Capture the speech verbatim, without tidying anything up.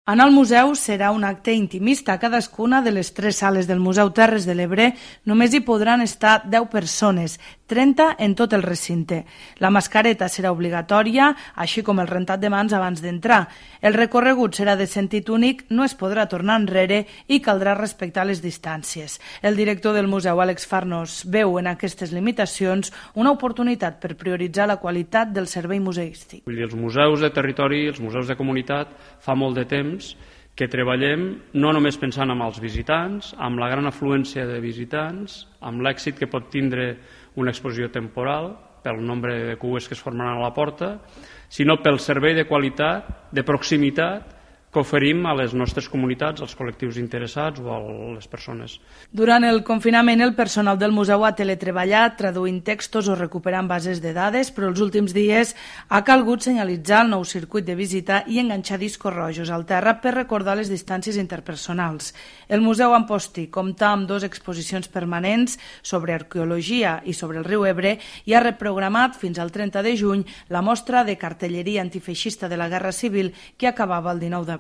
Anar al museu serà un acte intimista. A cadascuna de les tres sales del Museu Terres de l'Ebre només hi podran estar deu persones, trenta en tot el recinte. La mascareta serà obligatòria, així com el rentat de mans abans d'entrar. El recorregut serà de sentit únic, no es podrà tornar enrere i caldrà respectar les distàncies. El director del museu, Àlex Farnos, veu en aquestes limitacions una oportunitat per prioritzar la qualitat del servei museístic. Vull dir, els museus de territori, els museus de comunitat, fa molt de temps que treballem no només pensant en els visitants, amb la gran afluència de visitants, amb l'èxit que pot tindre una exposició temporal, pel nombre de cues que es formaran a la porta, sinó pel servei de qualitat, de proximitat, que oferim a les nostres comunitats, als col·lectius interessats o a les persones. Durant el confinament, el personal del museu ha teletreballat, traduint textos o recuperant bases de dades, però els últims dies ha calgut senyalitzar el nou circuit de visita i enganxar discos rojos al terra per recordar les distàncies interpersonals. El Museu Amposti compta amb dues exposicions permanents sobre arqueologia i sobre el riu Ebre i ha reprogramat fins al trenta de juny la mostra de cartelleria antifeixista de la Guerra Civil que acabava el dinou d'abril.